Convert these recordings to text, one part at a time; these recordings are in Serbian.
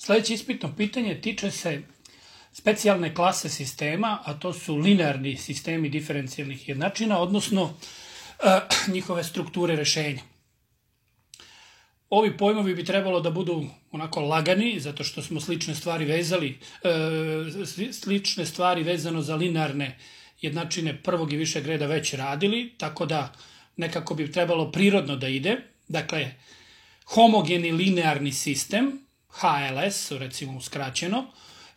Sljedeće ispitno pitanje tiče se specijalne klase sistema, a to su linearni sistemi diferencijalnih jednačina, odnosno njihove strukture rešenja. Ovi pojmovi bi trebalo da budu onako lagani, zato što smo slične stvari vezano za linearne jednačine prvog i višeg reda već radili, tako da nekako bi trebalo prirodno da ide. Dakle, homogeni linearni sistem, HLS, recimo uskraćeno,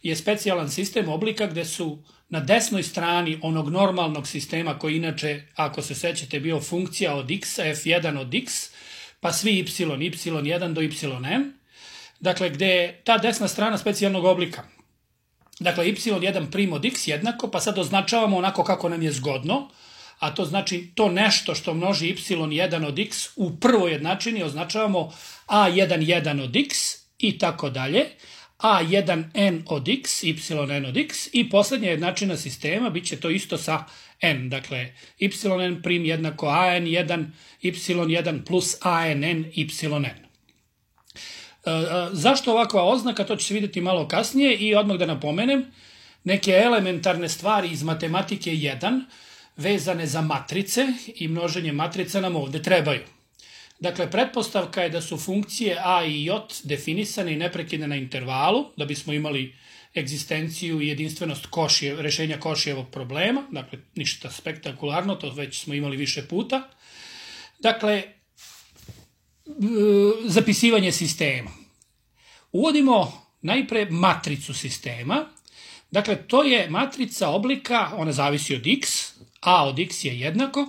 je specijalan sistem oblika gde su na desnoj strani onog normalnog sistema koji inače, ako se sećate, bio funkcija od x, f1 od x, pa svi y, y1 do yn, dakle, gde je ta desna strana specijalnog oblika. Dakle, y1 prim od x jednako, pa sad označavamo onako kako nam je zgodno, a to znači to nešto što množi y1 od x u prvoj jednačini označavamo a1 od x i tako dalje, a1n od x, yn od x i posljednja jednačina sistema bit će to isto sa n. Dakle, yn prim jednako an1, y1 plus ann, yn. Zašto ovakva oznaka? To će se vidjeti malo kasnije i odmah da napomenem neke elementarne stvari iz matematike 1 vezane za matrice i množenje matrica nam ovde trebaju. Dakle, pretpostavka je da su funkcije a i j definisane i neprekidne na intervalu, da bismo imali egzistenciju i jedinstvenost rešenja Košijevog problema. Dakle, ništa spektakularno, to već smo imali više puta. Dakle, zapisivanje sistema. Uvodimo najpre matricu sistema. Dakle, to je matrica oblika, ona zavisi od x, a od x je jednako.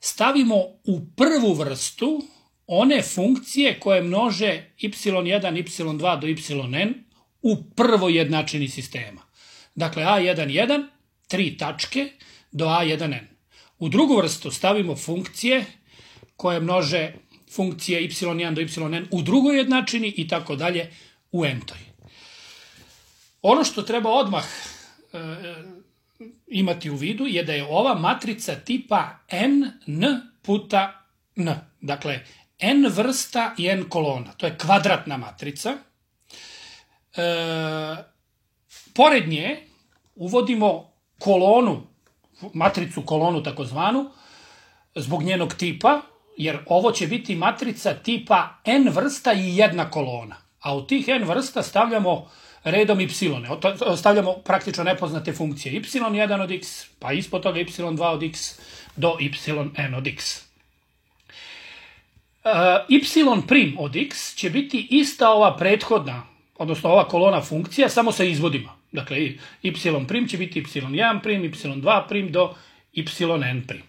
Stavimo u prvu vrstu one funkcije koje množe y1, y2 do yn u prvoj jednačini sistema. Dakle, a1, 3 tačke do a1n. U drugu vrstu stavimo funkcije koje množe funkcije y1 do yn u drugoj jednačini i tako dalje u n-toj. Ono što treba odmah imati u vidu je da je ova matrica tipa n puta n. Dakle, n vrsta i n kolona. To je kvadratna matrica. Pored nje uvodimo kolonu, matricu kolonu takozvanu, zbog njenog tipa, jer ovo će biti matrica tipa n vrsta i jedna kolona. A u tih n vrsta stavljamo redom y. Stavljamo praktično nepoznate funkcije. y1 od x, pa ispod toga y2 od x do yn od x. Y prim od x će biti ista ova prethodna, odnosno ova kolona funkcija, samo sa izvodima. Dakle, y prim će biti y1 prim, y2 prim do yn prim.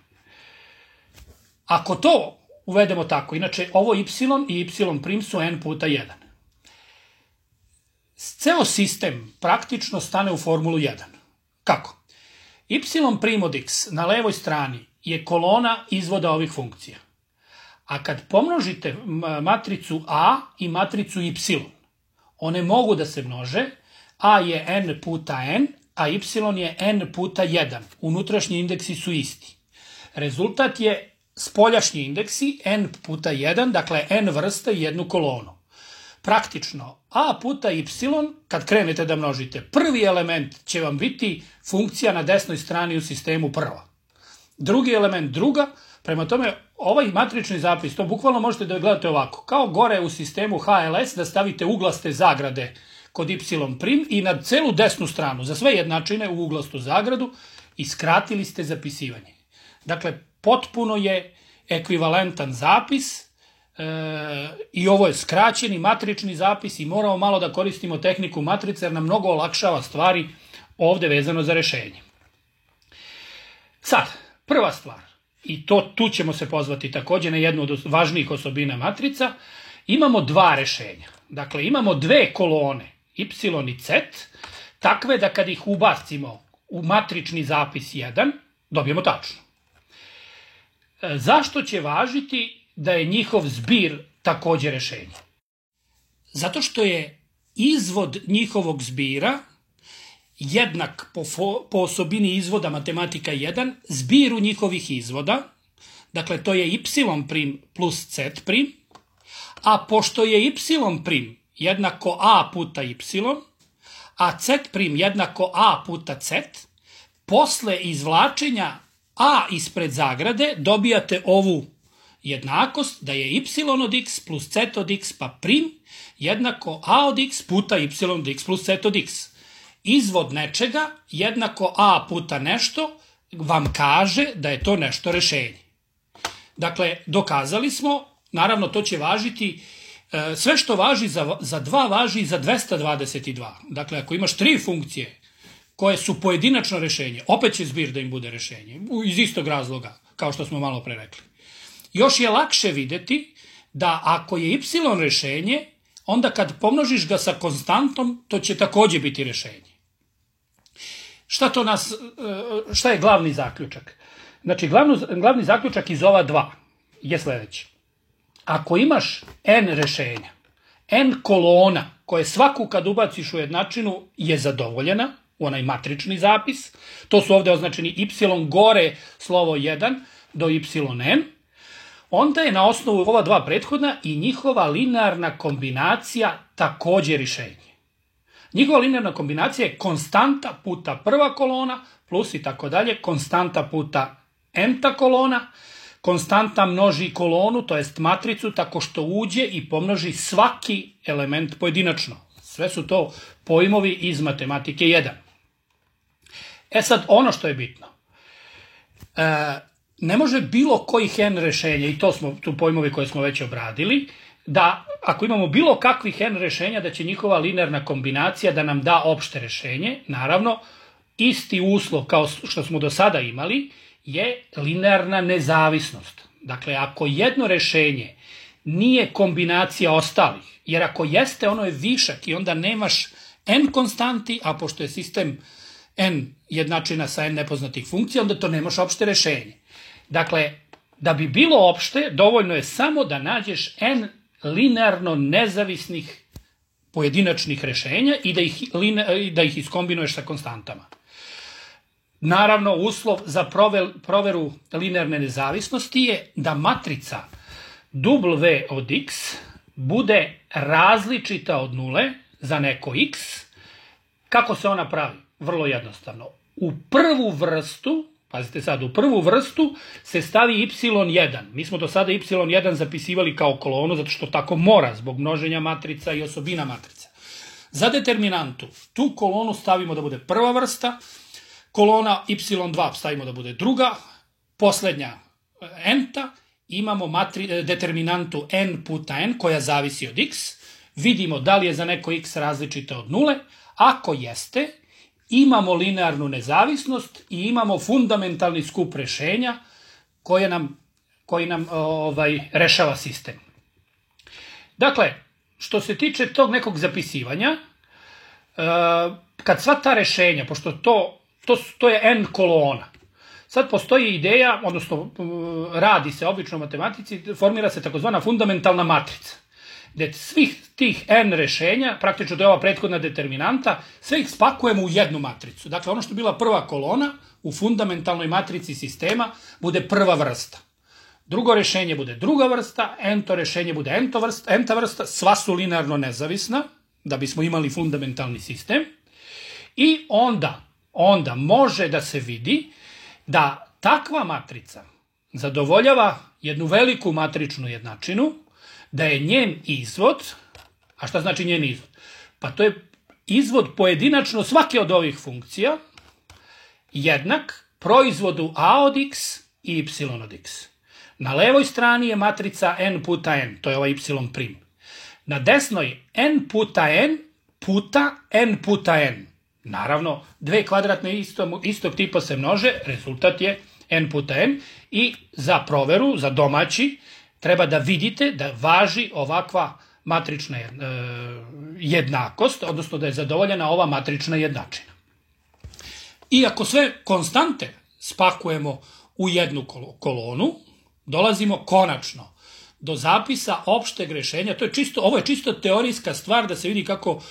Ako to uvedemo tako, inače ovo y i y prim su n puta 1. Ceo sistem praktično stane u formulu 1. Kako? Y prim od x na levoj strani je kolona izvoda ovih funkcija. A kad pomnožite matricu a i matricu y, one mogu da se množe, a je n puta n, a y je n puta 1. Unutrašnji indeksi su isti. Rezultat je spoljašnji indeksi n puta 1, dakle n vrsta i jednu kolonu. Praktično, a puta y, kad krenete da množite, prvi element će vam biti funkcija na desnoj strani u sistemu prva. Drugi element druga, prema tome ovaj matrični zapis, to bukvalno možete da gledate ovako, kao gore u sistemu HLS da stavite uglaste zagrade kod y prim i na celu desnu stranu, za sve jednačine u uglastu zagradu i skratili ste zapisivanje. Dakle, potpuno je ekvivalentan zapis i ovo je skraćeni matrični zapis i moramo malo da koristimo tehniku matrice jer nam mnogo olakšava stvari ovde vezano za rešenje. Sad, prva stvar, i tu ćemo se pozvati takođe na jednu od važnijih osobina matrica, imamo dva rešenja. Dakle, imamo dve kolone, y i z, takve da kad ih ubacimo u matrični zapis 1, dobijemo tačno. Zašto će važiti da je njihov zbir takođe rešenje? Zato što je izvod njihovog zbira jednak po osobini izvoda matematika 1, zbiru njihovih izvoda, dakle to je y prim plus z prim, a pošto je y prim jednako a puta y, a z' jednako a puta z, posle izvlačenja a ispred zagrade dobijate ovu jednakost da je y od x plus z od x pa prim jednako a od x puta y od x plus z od x. Izvod nečega jednako a puta nešto vam kaže da je to nešto rešenje. Dakle, dokazali smo, naravno to će važiti, sve što važi za 2 važi i za 222. Dakle, ako imaš 3 funkcije koje su pojedinačno rešenje, opet će zbir da im bude rešenje, iz istog razloga, kao što smo malo pre rekli. Još je lakše videti da ako je y rešenje, onda kad pomnožiš ga sa konstantom, to će takođe biti rešenje. Šta je glavni zaključak? Znači, glavni zaključak iz ova 2 je sledeći. Ako imaš n rešenja, n kolona, koje svaku kad ubaciš u jednačinu je zadovoljena, u onaj matrični zapis, to su ovde označeni y gore slovo 1 do yn, onda je na osnovu ova 2 prethodna i njihova linearna kombinacija takođe rešenje. Njihova linearna kombinacija je konstanta puta prva kolona plus i tako dalje, konstanta puta n-ta kolona, konstanta množi kolonu, to jest matricu, tako što uđe i pomnoži svaki element pojedinačno. Sve su to pojmovi iz matematike 1. Sad, ono što je bitno, ne može bilo kojih n rešenja, i to smo tu pojmovi koje smo već obradili, da ako imamo bilo kakvih n rešenja, da će njihova linearna kombinacija da nam da opšte rešenje. Naravno, isti uslov kao što smo do sada imali je linearna nezavisnost. Dakle, ako jedno rešenje nije kombinacija ostalih, jer ako jeste, ono je višak i onda nemaš n konstanti, a pošto je sistem n jednačina sa n nepoznatih funkcija, onda to nemaš opšte rešenje. Dakle, da bi bilo opšte, dovoljno je samo da nađeš n linearno nezavisnih pojedinačnih rešenja i da ih iskombinuješ sa konstantama. Naravno, uslov za proveru linearne nezavisnosti je da matrica w od x bude različita od nule za neko x. Kako se ona pravi? Vrlo jednostavno. U prvu vrstu, pazite sad, u prvu vrstu se stavi y1. Mi smo do sada y1 zapisivali kao kolonu, zato što tako mora, zbog množenja matrica i osobina matrica. Za determinantu, tu kolonu stavimo da bude prva vrsta, kolona y2 stavimo da bude druga, poslednja n-ta, imamo determinantu n puta n koja zavisi od x, vidimo da li je za neko x različita od nule, ako jeste, imamo linearnu nezavisnost i imamo fundamentalni skup rešenja koji nam rešava sistem. Dakle, što se tiče tog nekog zapisivanja, kad sva ta rešenja, pošto to je n kolona, sad postoji ideja, odnosno radi se obično u matematici, formira se takozvana fundamentalna matrica, gde svih tih n rešenja, praktično to je ova prethodna determinanta, sve ih spakujemo u jednu matricu. Dakle, ono što je bila prva kolona u fundamentalnoj matrici sistema bude prva vrsta. Drugo rešenje bude druga vrsta, n-to rešenje bude n-ta vrsta, sva su linearno nezavisna, da bismo imali fundamentalni sistem. I onda može da se vidi da takva matrica zadovoljava jednu veliku matričnu jednačinu, da je njen izvod, a šta znači njen izvod? Pa to je izvod pojedinačno svake od ovih funkcija jednak proizvodu a od x i y od x. Na levoj strani je matrica n puta n, to je ovaj y'. Na desnoj n puta n puta n puta n. Naravno, dve kvadratne istog tipa se množe, rezultat je n puta n i za proveru, za domaći, treba da vidite da važi ovakva matrična jednakost, odnosno da je zadovoljena ova matrična jednačina. I ako sve konstante spakujemo u jednu kolonu, dolazimo konačno do zapisa opšteg rešenja. Ovo je čisto teorijska stvar da se vidi kako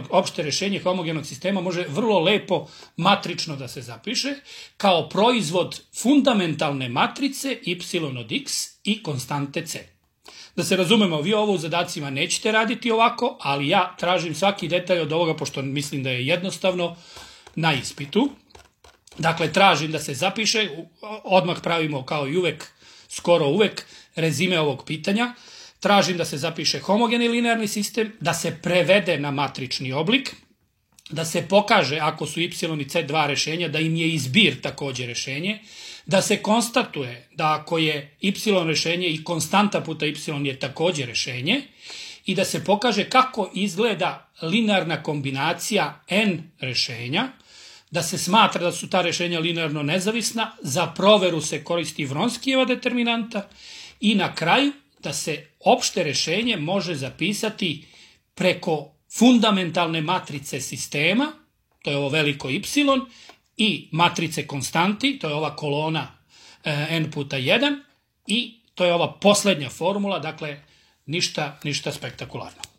opšte rešenje homogenog sistema može vrlo lepo matrično da se zapiše kao proizvod fundamentalne matrice y od x i konstante c. Da se razumemo, vi ovo u zadacima nećete raditi ovako, ali ja tražim svaki detalj od ovoga, pošto mislim da je jednostavno na ispitu. Dakle, tražim da se zapiše, odmah pravimo kao i uvek, skoro uvek, rezime ovog pitanja. Tražim da se zapiše homogeni linearni sistem, da se prevede na matrični oblik, da se pokaže ako su y i c dva rešenja, da im je i zbir takođe rešenje, da se konstatuje da ako je y rešenje i konstanta puta y je takođe rešenje i da se pokaže kako izgleda linearna kombinacija n rešenja, da se smatra da su ta rešenja linearno nezavisna, za proveru se koristi Vronskijeva determinanta i na kraju da se opšte rešenje može zapisati preko fundamentalne matrice sistema, to je ovo veliko y, i matrice konstanti, to je ova kolona n puta 1, i to je ova poslednja formula, dakle ništa spektakularno.